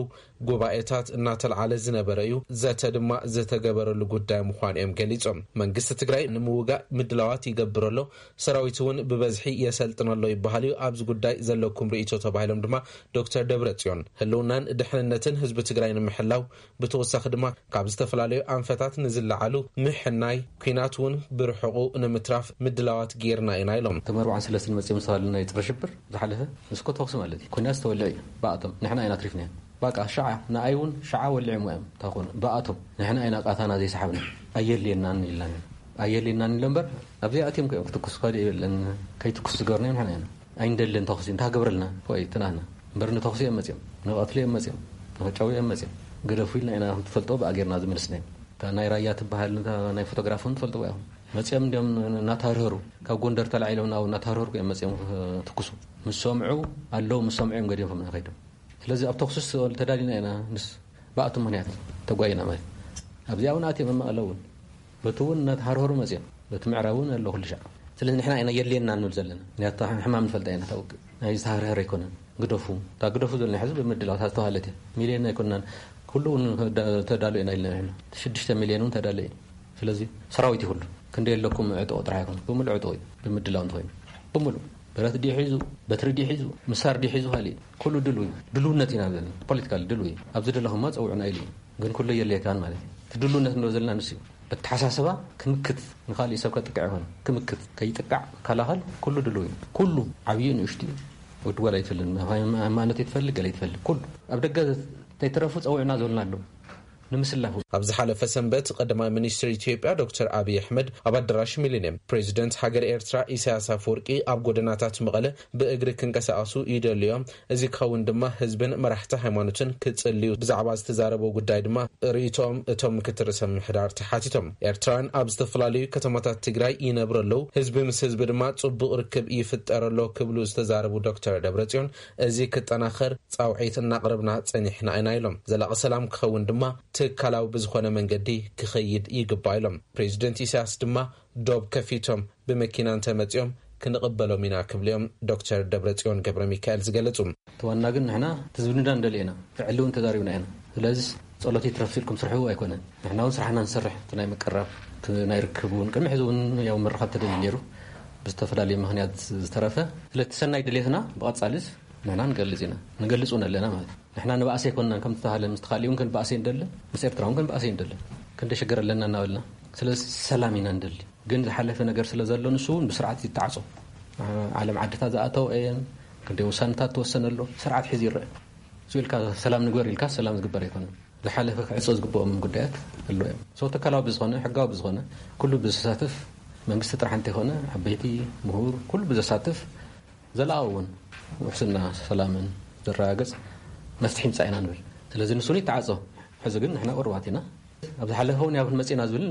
ጉባኤታት እናተልዓለ ዝነበረ እዩ። ዘተ ድማ ዝተገበረሉ ጉዳይ ምዃኑ እዮም ገሊጾም። መንግስቲ ትግራይ ንምውጋእ ምድላዋት ይገብር ኣሎ፣ ሰራዊት እውን ብበዝሒ የሰልጥን ኣሎ ይበሃል እዩ። ኣብዚ ጉዳይ ዘለኩም ርእይቶ ተባሂሎም ድማ ዶክተር ደብረጽዮን ህልውናን ድሕንነትን ህዝቢ ትግራይ ንምሕላው ብተወሳኺ ድማ ካብ ዝተፈላለዩ ኣንፈታት ንዝለዓሉ ምሕናይ ኲናት እውን ብርሑቑ ንምትራፍ ምድላዋት ጌርና ኢና ኢሎም። እቶም ኣርባዓን ሰለስተን መፂኦም ዝተባህሉ ናይ ፀረ ሽብር ዝሓለፈ ንስኮ ተኹሲ ማለት እዩ። ኲናት ዝተወልዐ እዩ ብኣቶም፣ ንሕና ኢና ኣትሪፍናዮ። በቃ ሸዓ ንኣይ እውን ሸዓ ወሊዖም እዮም ታኾኑ ብኣቶም፣ ንሕና ኢና ቃታና ዘይሰሓብና። ኣየድልየናን ኢልናን ኢና። ኣየድልየናን ኢሎ እምበር ኣብዚኣትዮም እዮም ክትኩስ ካልእ የለን። ከይትኩስ ዝገበርናዮም ንሕና ኢና። ኣይንደልን ተኹሲ እንታይ ክገብረልና? ወይ ትናና እምበር ንተኹሲ እዮም መፅኦም፣ ንቐትሉ እዮም መፅኦም፣ ንኸጫው እዮም መፅኦም። ግደፉ ኢልና ኢና ክንትፈልጦ ብኣጌርና ዝመለስናዮም። እታ ናይ ራያ ትበሃል እታ ናይ ፎቶግራፍ እውን ትፈልጥዋ ኢኹም። መፅኦም እንዲኦም እናተሃርሀሩ ካብ ጎንደር ተላዒሎም ናብ እናተሃርሀሩ እዮም መፅኦም ትኩሱ። ምስ ሰምዑ ኣለዉ፣ ምስ ሰምዑ እዮም ገዲፎም ከይዶም። ስለዚ ኣብ ተኹሲ ተዳሊና ኢና ምስ ብኣቶም ምኽንያት ተጓይና ማለት ኣብዚኣ እውን ኣትዮም እማ ኣለዉ እውን በቲ እውን እናተሃርሀሩ መፅኦም በቲ ምዕራብ እውን ኣሎ ኩሉ ሻዕ። ስለዚ ንሕና ኢና የድልየና ንብል ዘለና ምክንያቱ ሕማም ንፈልጣ ኢና ታውቅ ናይ ዝተሃርሀር ኣይኮነን። ግደፉ እታ ግደፉ ዘለና ሕዚ ብምድላው እታ ዝተባሃለት እያ። ሚልዮን ኣይኮንናን ኩሉ እውን ተዳሉ ኢና ኢልና ንሕና ሽዱሽተ ሚልዮን እውን ተዳለ እዩ። ስለዚ ሰራዊት ይኹሉ ክንደ የለኩም ዕጥቆ ጥራሕ ኣይኮነ ብምሉ ዕጥቆ እዩ ብምድላው እንተኮይኑ ብምሉ ብረት ድዩ ሒዙ በትሪ ድዩ ሒዙ ምሳር ድዩ ሒዙ ካልእ ኩሉ ድሉ እዩ። ድልውነት ኢና ዘለና ፖለቲካል ድሉ እዩ። ኣብዚ ደለኹማ ፀውዑና ኢሉ እዩ። ግን ኩሉ የድልየካን ማለት እዩ። እቲ ድልውነት ንብሎ ዘለና ንሱ እዩ። በተሓሳስባ ክምክት ንካሊእ ሰብ ከጥቅዕ ይኮነ ክምክት ከይጥቃዕ ከላኸል ኩሉ ድሉ እዩ። ኩሉ ዓብዩ ንእሽቱ ወዲ ጓል ኣይትፈልግ ሃይማኖት ይትፈልግ ገለ ይትፈልግ ኩሉ ኣብ ደገ ተይተረፉ ፀውዕና ዝበልና ኣለዉ። ንምስላፉ ኣብ ዝሓለፈ ሰንበት ቀዳማይ ሚኒስትር ኢትዮጵያ ዶክተር ኣብይ ኣሕመድ ኣብ ኣዳራሽ ሚሊኒየም ፕሬዚደንት ሃገር ኤርትራ ኢሳያስ ኣፈወርቂ ኣብ ጎደናታት መቐለ ብእግሪ ክንቀሳቐሱ ይደልዮም። እዚ ክኸውን ድማ ህዝብን መራሕቲ ሃይማኖትን ክጽልዩ ብዛዕባ ዝተዛረበ ጉዳይ ድማ ርእይቶኦም እቶም ምክትል ርእሰ ምምሕዳር ተሓቲቶም። ኤርትራውያን ኣብ ዝተፈላለዩ ከተማታት ትግራይ ይነብሩ ኣለዉ። ህዝቢ ምስ ህዝቢ ድማ ጽቡቕ ርክብ ይፍጠር ኣሎ ክብሉ ዝተዛረቡ ዶክተር ደብረጽዮን እዚ ክጠናኸር ጻውዒት እናቕረብና ጸኒሕና ኢና ኢሎም። ዘላቒ ሰላም ክኸውን ድማ ትካላዊ ብዝኾነ መንገዲ ክኸይድ ይግባእ ኢሎም። ፕሬዚደንት ኢሳያስ ድማ ዶብ ከፊቶም ብመኪና እንተመጺኦም ክንቕበሎም ኢና ክብሉ እዮም ዶክተር ደብረጽዮን ገብረ ሚካኤል ዝገለጹ። እቲ ዋና ግን ንሕና እቲ ዝብልና ንደልዮ ኢና። ፍዕሊ እውን ተዛሪብና ኢና። ስለዚ ጸሎት ይትረፍ ኢልኩም ስርሑ ኣይኮነን። ንሕና እውን ስራሕና ንሰርሕ። እቲ ናይ ምቅራብ፣ እቲ ናይ ርክብ እውን ቅድሚ ሕዚ እውን ያው ምርኻብ ተደልዩ ነይሩ። ብዝተፈላለየ ምኽንያት ዝተረፈ። ስለቲ ሰናይ ድሌትና ብቐጻሊስ ንሕና ንገልጽ ኢና። ንገልጽ እውን ኣለና ማለት እዩ። ንሕና ንባእሲ ኣይኮንናን ከም ዝተባህለ ምስ ተኻሊ እውን ክንባእሲ ንደልን ምስ ኤርትራ እውን ክንባእሲ ንደልን። ክንደ ሽግር ኣለና እናበልና። ስለዚ ሰላም ኢና ንደሊ። ግን ዝሓለፈ ነገር ስለ ዘሎ ንሱ እውን ብስርዓት ይተዓጾ። ዓለም ዓድታት ዝኣተው እየን። ክንደይ ውሳነታት ተወሰነ ኣሎ። ስርዓት ሒዙ ይረአ። እሱ ኢልካ ሰላም ንግበር ኢልካ ሰላም ዝግበር ኣይኮነን። ዝሓለፈ ክዕጾ ዝግብኦም ጉዳያት ኣሎ እዮም። ሰው ተካላዊ ብዝኾነ፣ ሕጋዊ ብዝኾነ፣ ኩሉ ብዘሳትፍ፣ መንግስቲ ጥራሕ እንተይኮነ፣ ዓበይቲ፣ ምሁር፣ ኩሉ ብዘሳትፍ፣ ዘለኣዊ እውን ውሕስና ሰላምን ዘረጋግጽ መፍትሒ ምጻእ ኢና ንብል። ስለዚ ንሱ እውን ይተዓጾ። ሕዚ ግን ንሕና ቁሩባት ኢና። ኣብ ዝሓለፈ እውን ያው ክንመጽእ ኢና ዝብል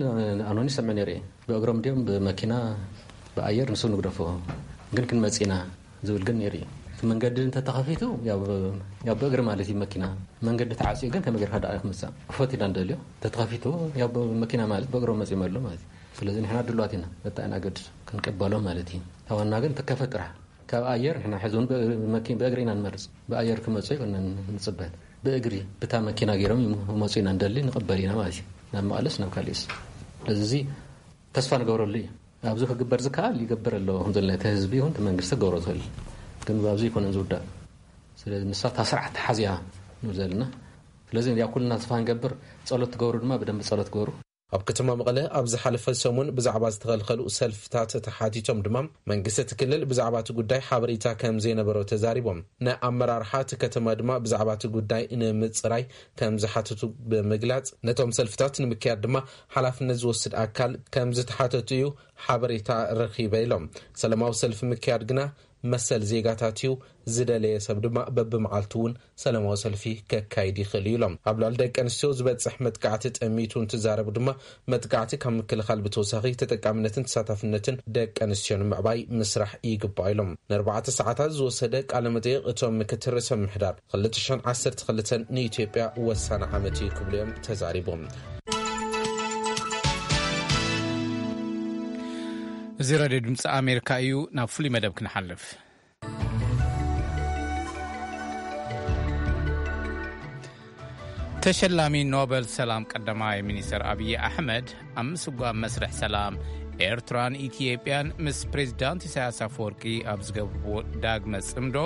ኣኖኒ ይሰምዕ ነይሩ እየ። ብእግሮም ድዮም ብመኪና ብኣየር ንሱ ንግደፎ ግን ክንመጽእ ኢና ዝብል ግን ነይሩ እዩ። እቲ መንገዲ እንተተኸፊቱ፣ ያው፣ ያው ብእግሪ ማለት እዩ። መኪና መንገዲ ተዓፅዩ ግን ከመይ ጌርካ ደኣ ክምፃእ? ክፈት ኢና ንደልዮ። እንተተኸፊቱ፣ ያው ብመኪና ማለት ብእግሮም መፂኦም ኣሎ ማለት እዩ። ስለዚ ንሕና ድሉዋት ኢና፣ በታ ኢና ገድስ ክንቅበሎም ማለት እዩ። ተዋና ግን ተከፈት ጥራሕ። ካብ ኣየር ንሕና ሕዚ እውን ብእግሪ፣ መኪ-፣ ብእግሪ ኢና ንመርፅ። ብኣየር ክመፁ ኣይኮነን ንፅበ። ብእግሪ ብታ መኪና ገይሮም ይመፁ ኢና ንደሊ፣ ንቕበል ኢና ማለት እዩ። ናብ መቐለስ ናብ ካሊእስ። ስለዚ እዚ ተስፋ ንገብረሉ እዩ። ኣብዚ ክግበር ዝከኣል ይገብር ኣሎ። ከም ዘለና እቲ ህዝቢ ይኹን እቲ መንግስቲ ክገብሮ ትኽእል። ግን ኣብዚ ኣይኮነን ዝውዳእ። ስለዚ ንሳ እታ ስርዓት ተሓዚያ ንብል ዘለና። ስለዚ ያ ኩልና ተስፋ ንገብር፣ ጸሎት ትገብሩ ድማ ብደንብ ጸሎት ግበሩ። ኣብ ከተማ መቐለ ኣብ ዝሓለፈ ሰሙን ብዛዕባ ዝተኸልከሉ ሰልፍታት ተሓቲቶም ድማ መንግስቲ እቲ ክልል ብዛዕባ እቲ ጉዳይ ሓበሬታ ከም ዘይነበሮ ተዛሪቦም። ንኣመራርሓ እቲ ከተማ ድማ ብዛዕባ እቲ ጉዳይ ንምጽራይ ከም ዝሓተቱ ብምግላጽ፣ ነቶም ሰልፍታት ንምክያድ ድማ ሓላፍነት ዝወስድ ኣካል ከም ዝተሓተቱ እዩ ሓበሬታ ረኺበ ኢሎም። ሰላማዊ ሰልፊ ምክያድ ግና መሰል ዜጋታት እዩ፣ ዝደለየ ሰብ ድማ በብመዓልቱ እውን ሰላማዊ ሰልፊ ከካይድ ይኽእል እዩ ኢሎም። ኣብ ልዕሊ ደቂ ኣንስትዮ ዝበፅሕ መጥቃዕቲ ጠሚቱ እንትዛረቡ ድማ፣ መጥቃዕቲ ካብ ምክልኻል ብተወሳኺ ተጠቃምነትን ተሳታፍነትን ደቂ ኣንስትዮ ንምዕባይ ምስራሕ ይግባእ ኢሎም። ንኣርባዕተ ሰዓታት ዝወሰደ ቃለ መጠይቕ እቶም ምክትል ርእሰ ምምሕዳር ክልተ ሽሕን ዓሰርተ ክልተን ንኢትዮጵያ ወሳኒ ዓመት እዩ ክብሉ እዮም ተዛሪቦም። እዚ ሬድዮ ድምፂ ኣሜሪካ እዩ። ናብ ፍሉይ መደብ ክንሓልፍ። ተሸላሚ ኖበል ሰላም ቀዳማይ ሚኒስተር ኣብዪ ኣሕመድ፣ ኣብ ምስጓም መስርሕ ሰላም ኤርትራን ኢትዮጵያን ምስ ፕሬዚዳንት ኢሳያስ ኣፈወርቂ ኣብ ዝገብርዎ ዳግመ ጽምዶ፣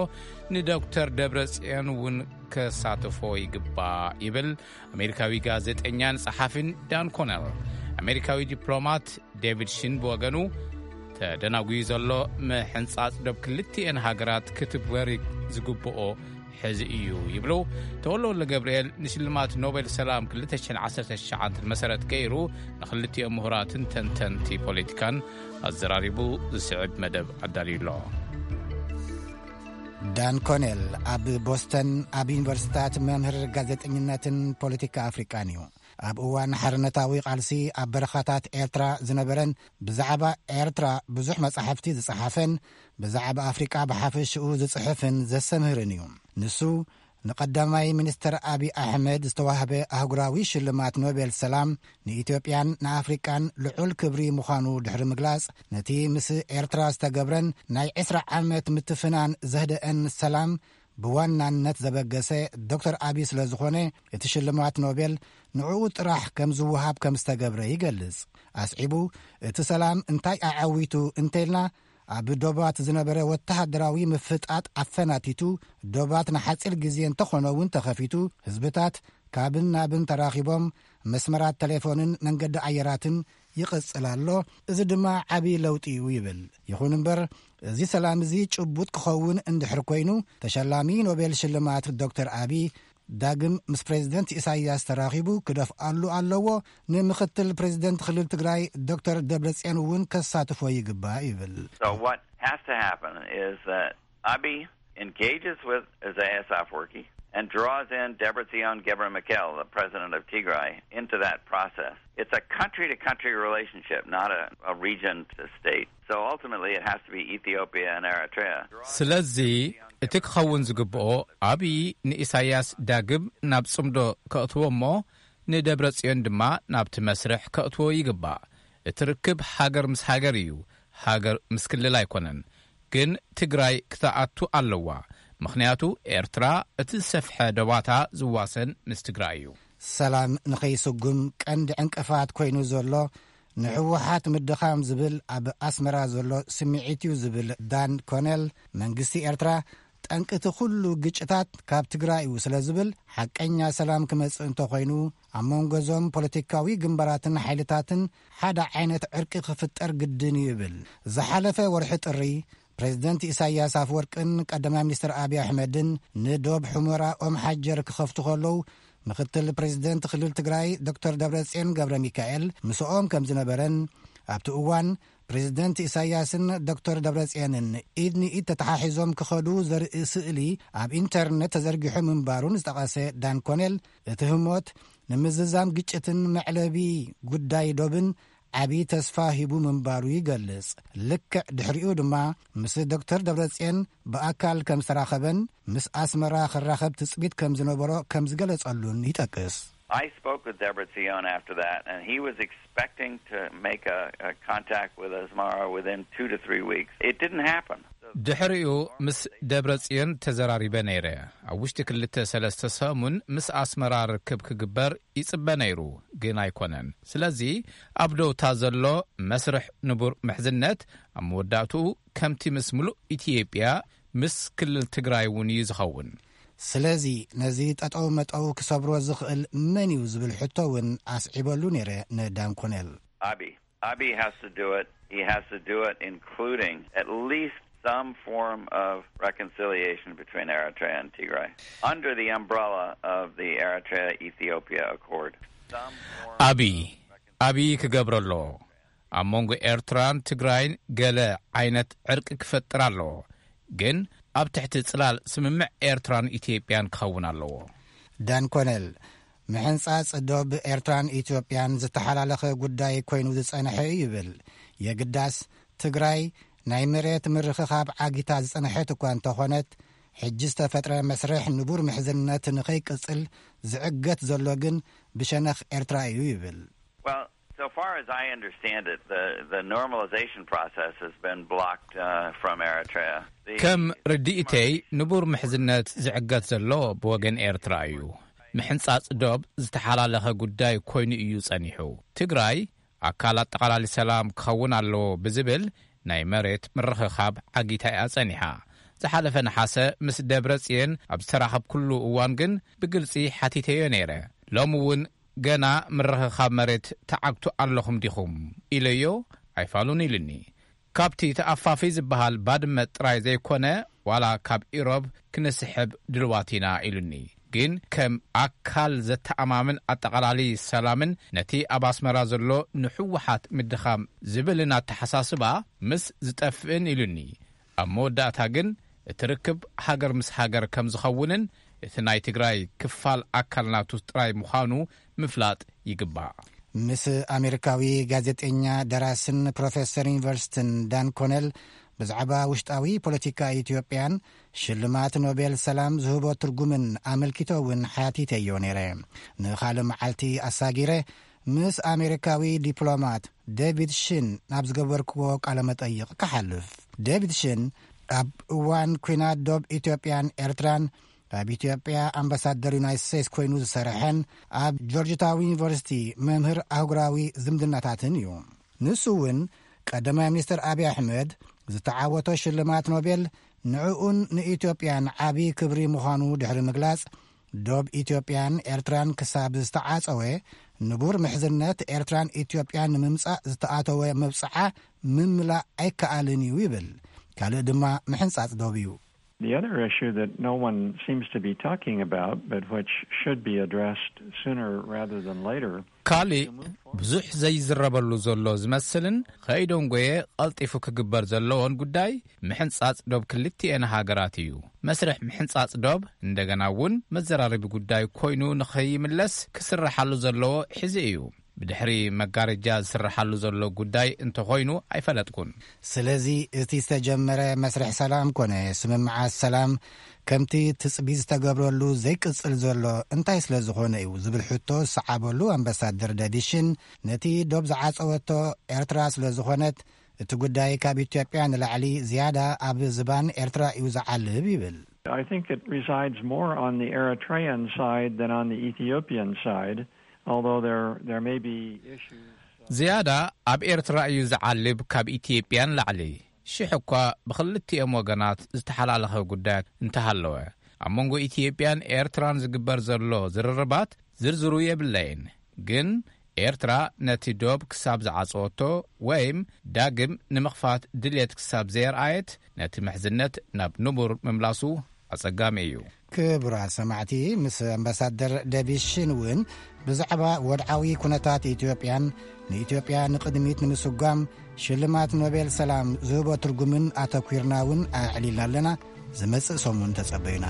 ንዶክተር ደብረጽዮን እውን ከሳትፎ ይግባእ ይብል ኣሜሪካዊ ጋዜጠኛን ጸሓፊን ዳን ኮነል። ኣሜሪካዊ ዲፕሎማት ዴቪድ ሽን ብወገኑ፣ ተደናጉዩ ዘሎ ምሕንጻጽ ዶብ ክልቲኤን ሃገራት ክትግበር ዝግብኦ ሕዚ እዩ ይብሉ። ተወልደ ወልደ ገብርኤል ንሽልማት ኖቤል ሰላም ክልተ ሽሕን ዓሰርተ ትሽዓን መሰረት ገይሩ ንክልቲኦም ምሁራትን ተንተንቲ ፖለቲካን ኣዘራሪቡ ዝስዕብ መደብ ኣዳልዩ ኣሎ። ዳን ኮኔል ኣብ ቦስተን ኣብ ዩኒቨርሲታት መምህር ጋዜጠኝነትን ፖለቲካ ኣፍሪቃን እዩ። ኣብ እዋን ሓርነታዊ ቃልሲ ኣብ በረኻታት ኤርትራ ዝነበረን ብዛዕባ ኤርትራ ብዙሕ መጻሕፍቲ ዝጸሓፈን ብዛዕባ ኣፍሪቃ ብሓፈሽኡ ዝጽሕፍን ዘሰምህርን እዩ። ንሱ ንቀዳማይ ሚኒስተር ኣቢ ኣሕመድ ዝተዋህበ ኣህጉራዊ ሽልማት ኖቤል ሰላም ንኢትዮጵያን ንኣፍሪቃን ልዑል ክብሪ ምዃኑ ድሕሪ ምግላጽ፣ ነቲ ምስ ኤርትራ ዝተገብረን ናይ ዕስራ ዓመት ምትፍናን ዘህደአን ሰላም ብዋናነት ዘበገሰ ዶክተር ኣቢ ስለ ዝኾነ፣ እቲ ሽልማት ኖቤል ንዕኡ ጥራሕ ከም ዝወሃብ ከም ዝተገብረ ይገልጽ። ኣስዒቡ፣ እቲ ሰላም እንታይ ኣዐዊቱ እንተኢልና፣ ኣብ ዶባት ዝነበረ ወተሃደራዊ ምፍጣጥ ኣፈናቲቱ፣ ዶባት ንሓጺር ግዜ እንተኾነ እውን ተኸፊቱ፣ ህዝብታት ካብን ናብን ተራኺቦም፣ መስመራት ተሌፎንን መንገዲ ኣየራትን ይቕጽል ኣሎ። እዚ ድማ ዓቢ ለውጢ እዩ ይብል። ይኹን እምበር፣ እዚ ሰላም እዚ ጭቡጥ ክኸውን እንድሕር ኮይኑ፣ ተሸላሚ ኖቤል ሽልማት ዶክተር ኣቢ ዳግም ምስ ፕሬዚደንት ኢሳይያስ ተራኺቡ ክደፍኣሉ ኣለዎ። ንምኽትል ፕሬዚደንት ክልል ትግራይ ዶክተር ደብረጽዮን እውን ከሳትፎ ይግባእ ይብል። So what has to happen is that Abiy engages with Isaias Afwerki and draws in Debretsion Gebremichael, the president of Tigray, into that process. It's a country-to-country relationship, not a, a region-to-state. So ultimately, it has to be Ethiopia and Eritrea. ስለዚ እቲ ክኸውን ዝግብኦ፣ ኣብዪ ንኢሳያስ ዳግም ናብ ጽምዶ ከእትዎ እሞ፣ ንደብረ ጽዮን ድማ ናብቲ መስርሕ ከእትዎ ይግባእ። እቲ ርክብ ሃገር ምስ ሃገር እዩ፣ ሃገር ምስ ክልል ኣይኮነን። ግን ትግራይ ክትኣቱ ኣለዋ፣ ምኽንያቱ ኤርትራ እቲ ዝሰፍሐ ዶባታ ዝዋሰን ምስ ትግራይ እዩ። ሰላም ንኸይስጉም ቀንዲ ዕንቅፋት ኮይኑ ዘሎ ንህወሓት ምድኻም ዝብል ኣብ ኣስመራ ዘሎ ስምዒት እዩ ዝብል ዳን ኮነል፣ መንግስቲ ኤርትራ ጠንቂ እቲ ኩሉ ግጭታት ካብ ትግራይ እዩ ስለ ዝብል፣ ሓቀኛ ሰላም ክመጽእ እንተኾይኑ፣ ኣብ መንጎ እዞም ፖለቲካዊ ግንባራትን ሓይልታትን ሓደ ዓይነት ዕርቂ ክፍጠር ግድን እዩ ይብል። ዝሓለፈ ወርሒ ጥሪ፣ ፕሬዚደንት ኢሳያስ ኣፍወርቅን ቀዳማይ ሚኒስትር ኣብይ ኣሕመድን ንዶብ ሑመራ ኦም ሓጀር ክኸፍቱ ከለዉ፣ ምኽትል ፕሬዚደንት ክልል ትግራይ ዶክተር ደብረጽዮን ገብረ ሚካኤል ምስኦም ከም ዝነበረን፣ ኣብቲ እዋን ፕሬዚደንት ኢሳያስን ዶክተር ደብረጽዮንን ኢድ ንኢድ ተተሓሒዞም ክኸዱ ዘርኢ ስእሊ ኣብ ኢንተርነት ተዘርጊሑ ምንባሩን ዝጠቐሰ ዳን ኮኔል፣ እቲ ህሞት ንምዝዛም ግጭትን መዕለቢ ጉዳይ ዶብን ዓቢ ተስፋ ሂቡ ምንባሩ ይገልጽ። ልክዕ ድሕሪኡ ድማ ምስ ዶክተር ደብረጽዮን ብኣካል ከም ዝተራኸበን ምስ ኣስመራ ክራኸብ ትጽቢት ከም ዝነበሮ ከም ዝገለጸሉን ይጠቅስ። I spoke with Debretsion after that, and he was expecting to make a, a contact with Asmara within two to three weeks. It didn't happen. ድሕሪኡ ምስ ደብረ ጽዮን ተዘራሪበ ነይረ። ኣብ ውሽጢ ክልተ ሰለስተ ሰሙን ምስ ኣስመራ ርክብ ክግበር ይጽበ ነይሩ፣ ግን ኣይኮነን። ስለዚ ኣብ ደውታ ዘሎ መስርሕ ንቡር ምሕዝነት ኣብ መወዳእትኡ ከምቲ ምስ ምሉእ ኢትዮጵያ ምስ ክልል ትግራይ እውን እዩ ዝኸውን። ስለዚ ነዚ ጠጠው መጠው ክሰብሮ ዝኽእል መን እዩ ዝብል ሕቶ እውን ኣስዒበሉ ነይረ ንዳንኮነል። Abi. Abi has to do it. He has to do it, including at least some form of reconciliation between Eritrea and Tigray under the umbrella of the Eritrea-Ethiopia Accord. Some form ኣቢ ኣቢ ክገብሮ ኣለዎ። ኣብ መንጎ ኤርትራን ትግራይን ገለ ዓይነት ዕርቂ ክፈጥር ኣለዎ፣ ግን ኣብ ትሕቲ ጽላል ስምምዕ ኤርትራን ኢትዮጵያን ክኸውን ኣለዎ። ዳንኮነል፣ ምሕንጻጽ ዶብ ኤርትራን ኢትዮጵያን ዝተሓላለኸ ጉዳይ ኮይኑ ዝጸንሐ እዩ ይብል። የግዳስ ትግራይ ናይ መሬት ምርኽኻብ ዓጊታ ዝጸንሐት እኳ እንተኾነት፣ ሕጂ ዝተፈጥረ መስርሕ ንቡር ምሕዝነት ንኸይቅጽል ዝዕገት ዘሎ ግን ብሸነኽ ኤርትራ እዩ ይብል። Well, so far as I understand it, the, the normalization process has been blocked uh, from Eritrea. The ከም ርድኢተይ ንቡር ምሕዝነት ዝዕገት ዘሎ ብወገን ኤርትራ እዩ። ምሕንጻጽ ዶብ ዝተሓላለኸ ጉዳይ ኮይኑ እዩ ጸኒሑ። ትግራይ ኣካል ኣጠቓላሊ ሰላም ክኸውን ኣለዎ ብዝብል ናይ መሬት ምርኽኻብ ዓጊታ እያ ጸኒሓ። ዝሓለፈ ነሓሰ ምስ ደብረ ጽዮን ኣብ ዝተራኸብኩሉ እዋን ግን ብግልጺ ሓቲተዮ ነይረ። ሎሚ እውን ገና ምርኽኻብ መሬት ተዓግቱ ኣለኹም ዲኹም ኢለዮ። ኣይፋሉን ኢሉኒ። ካብቲ ተኣፋፊ ዝበሃል ባድመ ጥራይ ዘይኮነ፣ ዋላ ካብ ኢሮብ ክንስሕብ ድልዋት ኢና ኢሉኒ። ግን ከም ኣካል ዘተኣማምን ኣጠቓላሊ ሰላምን ነቲ ኣብ ኣስመራ ዘሎ ንሕወሓት ምድኻም ዝብልን ኣተሓሳስባ ምስ ዝጠፍእን ኢሉኒ። ኣብ መወዳእታ ግን እቲ ርክብ ሃገር ምስ ሃገር ከም ዝኸውንን እቲ ናይ ትግራይ ክፋል ኣካል ናቱ ጥራይ ምዃኑ ምፍላጥ ይግባእ። ምስ ኣሜሪካዊ ጋዜጠኛ፣ ደራስን ፕሮፌሰር ዩኒቨርሲቲን ዳን ኮነል ብዛዕባ ውሽጣዊ ፖለቲካ ኢትዮጵያን ሽልማት ኖቤል ሰላም ዝህቦ ትርጉምን ኣመልኪቶ እውን ሓቲተዮ ነይረ። ንኻልእ መዓልቲ ኣሳጊረ ምስ ኣሜሪካዊ ዲፕሎማት ዴቪድ ሽን ናብ ዝገበርክዎ ቃለ መጠይቕ ክሓልፍ። ዴቪድ ሽን ኣብ እዋን ኲናት ዶብ ኢትዮጵያን ኤርትራን ኣብ ኢትዮጵያ ኣምባሳደር ዩናይትድ ስቴትስ ኮይኑ ዝሰርሐን ኣብ ጆርጅ ታውን ዩኒቨርሲቲ መምህር ኣህጉራዊ ዝምድናታትን እዩ። ንሱ እውን ቀዳማይ ሚኒስትር ኣብይ ኣሕመድ ዝተዓወቶ ሽልማት ኖቤል ንዕኡን ንኢትዮጵያን ዓቢ ክብሪ ምዃኑ ድሕሪ ምግላጽ፣ ዶብ ኢትዮጵያን ኤርትራን ክሳብ ዝተዓጸወ፣ ንቡር ምሕዝነት ኤርትራን ኢትዮጵያን ንምምጻእ ዝተኣተወ መብጽዓ ምምላእ ኣይከኣልን እዩ ይብል። ካልእ ድማ ምሕንጻጽ ዶብ እዩ። The other issue that no one seems to be talking about, but which should be addressed sooner rather than later, ካልእ ብዙሕ ዘይዝረበሉ ዘሎ ዝመስልን ከይደንጎየ ቀልጢፉ ክግበር ዘለዎን ጉዳይ ምሕንጻጽ ዶብ ክልቲኤን ሃገራት እዩ። መስርሕ ምሕንጻጽ ዶብ እንደገና እውን መዘራረቢ ጉዳይ ኮይኑ ንኸይምለስ ክስረሓሉ ዘለዎ ሕዚ እዩ። ብድሕሪ መጋረጃ ዝስረሓሉ ዘሎ ጉዳይ እንተኾይኑ ኣይፈለጥኩን። ስለዚ እቲ ዝተጀመረ መስርሕ ሰላም ኮነ ስምምዓት ሰላም ከምቲ ትጽቢት ዝተገብረሉ ዘይቅጽል ዘሎ እንታይ ስለ ዝኾነ እዩ ዝብል ሕቶ ዝሰዓበሉ ኣምባሳደር ዳቪድ ሽን፣ ነቲ ዶብ ዝዓጸወቶ ኤርትራ ስለ ዝኾነት፣ እቲ ጉዳይ ካብ ኢትዮጵያ ንላዕሊ ዝያዳ ኣብ ዝባን ኤርትራ እዩ ዝዓልብ ይብል። I think it resides more on the Eritrean side than on the Ethiopian side, although there, there may be issues. ዝያዳ ኣብ ኤርትራ እዩ ዝዓልብ ካብ ኢትዮጵያ ንላዕሊ። ሽሕ እኳ ብኽልቲኦም ወገናት ዝተሓላለኸ ጉዳያት እንተሃለወ፣ ኣብ መንጎ ኢትዮጵያን ኤርትራን ዝግበር ዘሎ ዝርርባት ዝርዝሩ የብለይን። ግን ኤርትራ ነቲ ዶብ ክሳብ ዝዓጸወቶ ወይም ዳግም ንምኽፋት ድልየት ክሳብ ዘየርኣየት፣ ነቲ ምሕዝነት ናብ ንቡር ምምላሱ ኣጸጋሚ እዩ። ክቡራት ሰማዕቲ፣ ምስ ኣምባሳደር ዴቪድ ሽን እውን ብዛዕባ ወድዓዊ ኩነታት ኢትዮጵያን ንኢትዮጵያ ንቕድሚት ንምስጓም ሽልማት ኖቤል ሰላም ዝህቦ ትርጉምን ኣተኲርና እውን ኣዕሊልና ኣለና። ዝመጽእ ሰሙን ተጸበዩና።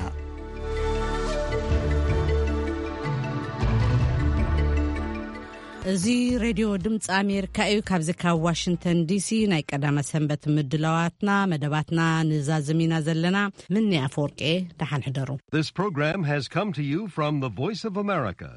እዚ ሬድዮ ድምፂ ኣሜሪካ እዩ። ካብዚ ካብ ዋሽንግተን ዲሲ ናይ ቀዳመ ሰንበት ምድላዋትና፣ መደባትና ንዛዝም ኢና ዘለና። ምኒ ኣፈወርቂ፣ ደሓን ሕደሩ። This program has come to you from the Voice of America.